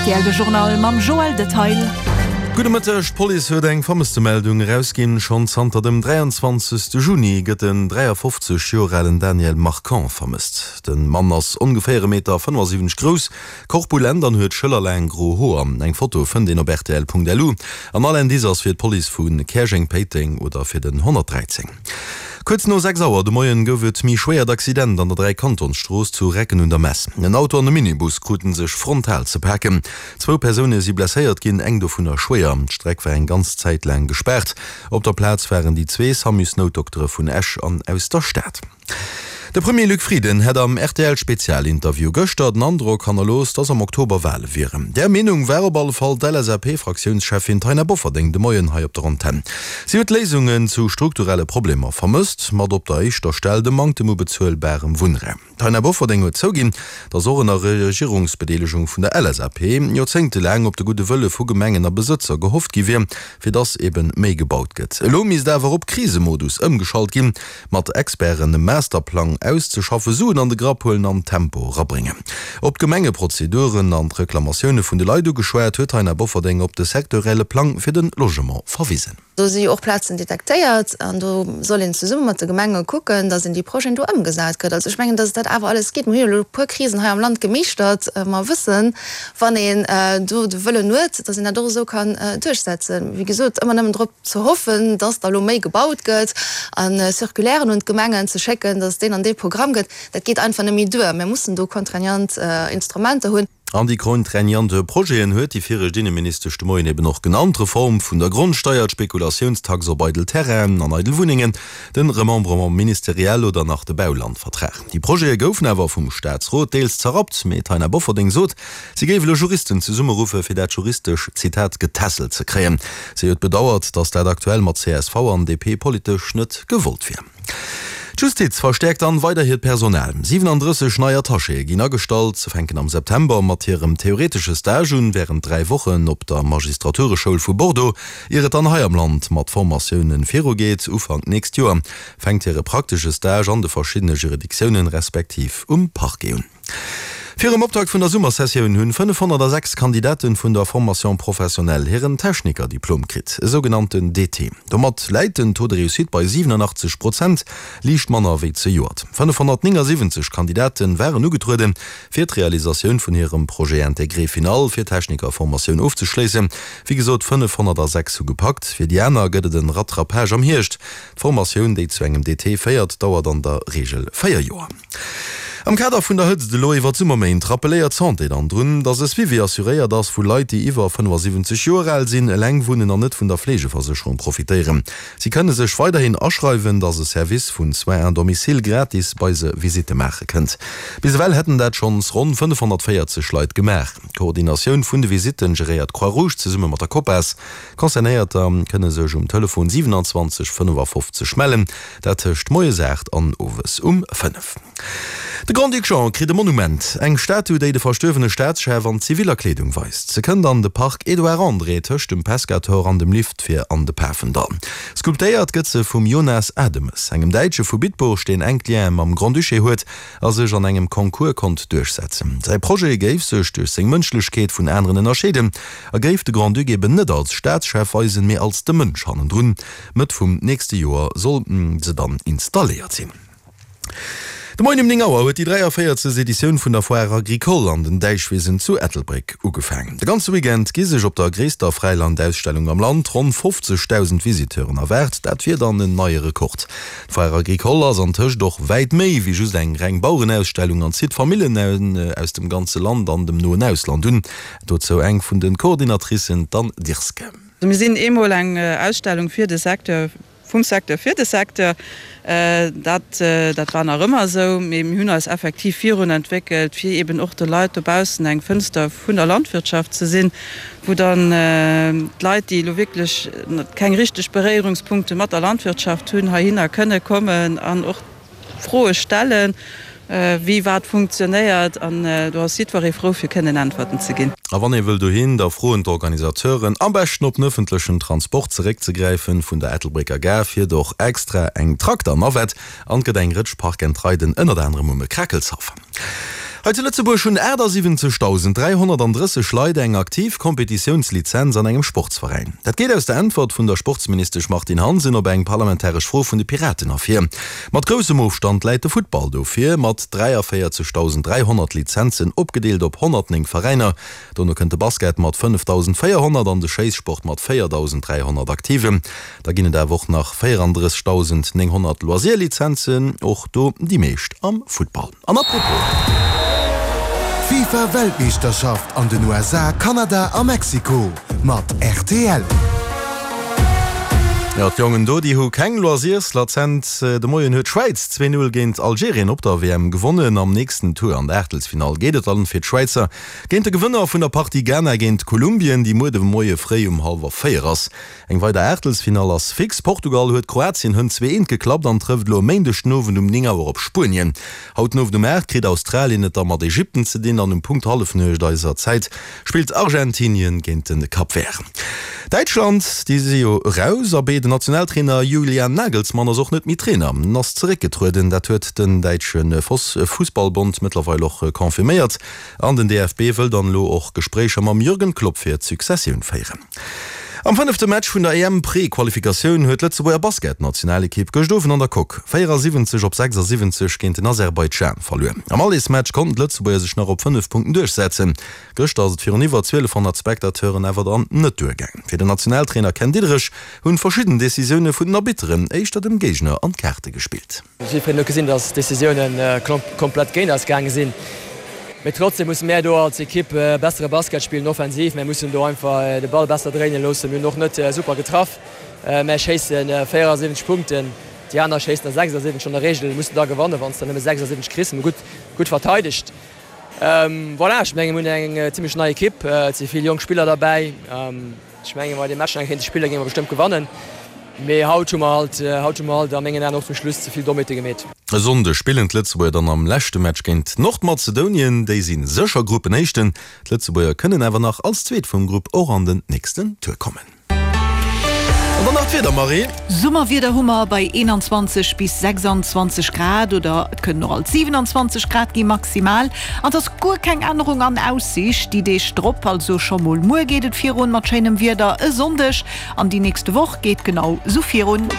Rtl, De Journal mam Joël Detail. Gudde Mëtteg, D'Police huet eng Vermësstemeldung erausginn. Schonn zanter dem 23. Juni gëtt den 53 Joer alen Daniel Marquand vermësst. De Mann ass ongeféier e Meter 75 grouss, korpulent an huet schëllerlaang gro Hoer. Eng Foto fënnt een op rtl.lu an all Indice ass fir d'Police vu Käerjeng-Péiteng oder fir den 113. Kuerz no 6 Auer de Moien gouf et méi schwéiert Accident an der Dräikantonsstrooss zu Recken un der Mess. En Auto an e Minibus kruten sech frontal ze paken. Zwou Persoune si blesséiert ginn, eng dovunner schwéier. D'Streck war eng ganz Zäit laang gespaart. Op der Plaz waren déi zwee Samusnoutdoktere vun Esch an aus der Stad. De Premier Luc Frieden hätt am RTL-Spezialinterview gëschter den Androck hannerlooss, datt am Oktober Wale wieren. Där Meenung war op alle Fall d'LSAP-Fraktiounscheffin Taina Bofferding de Moien hei op der Antenn. Si huet Léisungen zu strukturelle Problemer vermësst, mat op der éischter Stell dem Manktem u bezuelbarem Wunnraum. D'Taina Bofferding huet zouginn, datt och ënner Regierungsbedeelegung vun der LSAP joerzéngtelaang op de gudde Wëlle vu Gemengen a Besëtzer gehofft gi wier, fir datt ebe méi gebaut gëtt. Elo misst awer op Krisemodus ëmgeschalt ginn. mat Experten e Masterplang auszeschaffen, Suen an de Grapp huelen an Tempo erabréngen. Op d'Gemengeprozeduren an d'Reklamatioune vun de Leit ugeschwat, huet d'Taina Bofferding op de sektorielle Plang fir de Logement verwisen. Do si jo och Plazen detektéiert an do soll een zesumme mat de Gemenge kucken, datt een déi Projeten do ëmgesat kritt. Also ech mengen, datt et dat awer alles geet. Mir hu jo elo e puer Krisen hei am Land gemeeschtert. Mer wëssen, wann een do de Wëllen huet, datt een dat och esou kann duerchsetzen. Wéi gesot, ëmmer nëmmen drop ze hoffen, dass da lo méi gebaut gëtt a Circulairen un d'Gemengen ze schécken, dass et deen an dee Programm gëtt, dat geet einfach net méi duer. Mir mussen do contraignant Instrumenter hunn. An déi contraignant Projeten huet déi viregt Inneministesch de Moien eben och genannt, d'Reform vun der Grondsteier, d'Spekulatiounstax op eidel Terrainen an eidel Wunnengen, den Remembrement ministériel oder nach de Baulandvertrag. Déi Projete goufen awer vum Staatsrot deels zerrappt, mee d'Taina Bofferding sot, Si géif elo Juristen zesummeruffe fir dat juristesch, Zitat, getässelt ze kréien. Si huet bedauert, datt dat aktuell mat csv an DP politesch net gewollt wier. D'Justiz verstäerkt dann weider hiert Personal. 37 nei Attachéë ginn agestallt. Se fänken am September mat hirem theoretesche Stage un, wärend 3 Wochen op der Magistratureschoul vu Bordeaux, ier et dann hei am Land mat Formatioune virugeet. Ufank d'nächst Joer fänkt hire praktesche Stage an de verschiddene Juridictiounen, respektiv um Parquet un. Virum Optakt vun der Summersessioun hunn 506 Kandidaten vun der Formation professionnelle hiren Technikerdiplom kritt, e sougenannten DT. Domat läit den Taux de réussite bei 87 Prozent, liicht manner wéi zejoert. 579 Kandidate waren ugetrueden, fir d'Realisatioun vun hirem Projet intégré final fir d'Technikerformatioun ofzeschléissen. Wéi gesot, 506 hu gepackt. Fir déi aner gëtt et en Rattrapage am Hierscht. D'Formatioun, déi zu engem DT féiert, dauert an der Reegel 4 Joer. Am Kader vun der Hëtzt elo iwwer d'Summerméint rappelléiert d'Santé dann drun, dass e Suivi assuréiert ass vu Leit, déi iwwer 75 Joer al sinn, eleng wunnen an net vun der Fleegeversécherung profitéieren. Si kënne sech weiderhin aschreiwen, dass e Service vun Soins à domicile gratis bei se Visitte maache kënnt. Bis ewell hätten dat schonns ronn 540 Leit gemaach. D'Koordinatioun vun de Visitten geréiert d'Croix-Rouge zesumme mat der Copas. Concernéierter kënne sech um Telefon 27 55 mellen. Dat tëscht moies 8 an owes um 5. De Grand-Duc Jean kritt e Monument, eng Statu, déi de verstuerwene Staatschef an ziviller Kleedung weist. Se kënnt an de Parc Edouard André tëscht dem Pescator an dem Lift fir an de Pafendall. Sculptéiert gëtt se vum Jonas Ademes, engem Däitsche vu Bitburg, deen enk Liene mam Grand-Duché huet a sech an engem Concours konnt duerchsetzen. Säi Projet géif sech duerch seng Mënschlechkeet vun aneren ënnerscheeden a géif de Grand-Duc eben net als Staatschef weisen, mee als de Mënsch hannendrun. Mëtt vum nächste Joer soll se dann installéiert sinn. De Moien um 9 Auer huet déi 43. Editioun vun der Foire Agricole an den Däichwisen zu Ettelbréck ugefaangen. De ganze Weekend gi sech op der gréisster Fräilandausstellung am Land ronn 50.000 Visiteuren erwaart. Dat wier dann en neie Rekord. D'Foire Agricole ass antëscht och wäit méi wéi just eng reng Bauerenausstellung an zitt Famillen aus dem ganze Land an dem noen Ausland un. Dozou eng vun de Coordinatricen, d'Anne Dirske. Mir sinn eemol eng Ausstellung fir de Secteur, vum Secteur fir de Secteur. Dat, dat war nach ëmmer esou, mee mir hunn eis effektiv virun entwéckelt, fir eeben och de Leit dobaussen eng Fënster vun der Landwirtschaft ze sinn, wou dann d'Leit, déi elo wierklech keng richteg Beréierungspunkte mat der Landwirtschaft hunn, heihinner kënne kommen an och Froe stellen, wéi wat funktionéiert, an do ass jiddweree frou fir kënnen Äntwerten ze ginn. A wann ee wëll dohin, da froen d'Organisateuren am beschten op den ëffentlechen Transport zeréckzegräifen. Vun der Ettelbrécker Gare fiert och extra eng Trakter-Navette an et gëtt eng Rëtsch Park-and-Riden, ënnert anerem um Krakelshaff. Hei zu Lëtzebuerg hunn 78.330 Leit eng aktiv Kompetitiounslizenz an engem Sportsveräin. Dat geet aus der Äntwert vun der Sportsministesch Martine Hansen op eng parlamentaresch Fro vun de Piraten ervir. Mat groussem Ofstand läit de Futtball do vir, mat 43.300 Lizenzen opgedeelt op 109 Veräiner. Dono kënnt de Basket mat 5.400 an de Schéissport mat 4.300 Aktiven. Da ginn et awer och nach 34.900 Loisir-Lizenzen, och do déi meescht am Futtball. An apropos. D'FIFA Weltmeeschterschaft an den USA, Kanada a Mexiko mat rtl. Jo, d'Jongen do, déi hu keng Loisirslazenz. De Moien huet d'Schwäiz 2, 0 géint Algerien op der WM gewonnen. Am nächsten Tour an der Aachtelsfinall geet et dann fir d'Schwäizer géint de Gewënner vun der Partie Ghana géint Kolumbien, déi muer de Moie fréi um hallwer 4 ass. Eng weider Aachtelsfinall ass fix, Portugal huet Kroatien hënt 2, 1 geklappt an trëfft elo e Méindeg den Owend um 9 Auer op Spuenien. Haut den Owend um 8 kritt Australien et da mat Ägypten ze dinn an um Punkt Hallefnuecht eiser Zäit spillt Argentinien géint de Cap Vert. Däitschland, déi si jo eraus, abee den Nationaltrainer Julian Nagelsmann ass och net méi Trainer, en ass zeréckgetrueden. Dat huet den däitsche Fussballbond mëttlerweil och confirméiert an den DFB wëll dann elo och Gespréicher mam Jürgen Klopp fir d'Successioun féieren. Am fënnefte Match vun der EM-Pre-Qualifikatioun huet d'Lëtzebuerger Basketnationalekipp gëscht Owend an der Coque 74 op 76 géint den Aserbaidschan verluer. Am Allersmatch konnten d'Lëtzebuerger sech nach op 5 Punkten duerchsetzen. Gëschter ass et virun iwwer 1200 Spectateuren awer dann net duergaang. Fir den Nationaltrainer Ken Diederich hunn verschidden Decisioune vun den Arbitteren éischter dem Géigner an d'Kaarte gespillt. Jiddwereen huet gesinn, dass d'Decisiounen komplett géint eis gaange sinn. Mee trotzdem musse mär do als Ekipp bessere Basket spillen, offensiv. Mär mussen do einfach de Ball besser dréine loossen. Mir hunn och net super getraff. Mär schéisse 74 Punkten, déi aner schéissen der 76. An der Reegel muss de da gewannen, wann s de nëmme 76 kriss. Mir hu gutt, gutt verteidegt. Voilà, ech menge mir hunn eng zimmlech nei Ekipp. Et si vill jonk Spiller derbäi. Ech mengen, wa mir dee Match nach eng Kéier kéinte spillen, géinge mer bestëmmt gewannen. Mee haut hu mer halt, haut hu mer halt a mengen Aen och zum Schluss ze vill Dommheete gemeet. E Sonndeg spillen d'Lëtzebuerger dann am leschte Match géint Nordmazedonien. Déi si sécher Gruppenéischten. D'Lëtzebuerger kënnen awer nach als Zweet vum Grupp och an den nächsten Tour kommen. An dann nach d'Wieder, Marie. Summerwieder hu mer bei 21 bis 26 Grad oder et kënnen och alt 27 Grad gi maximal. An et ass guer keng Ännerung an Aussiicht déi Deeg drop, also scho mol muer geet et virun mat schéinem Wieder, e Sonndeg an déi nächste Woch geet genau sou virun.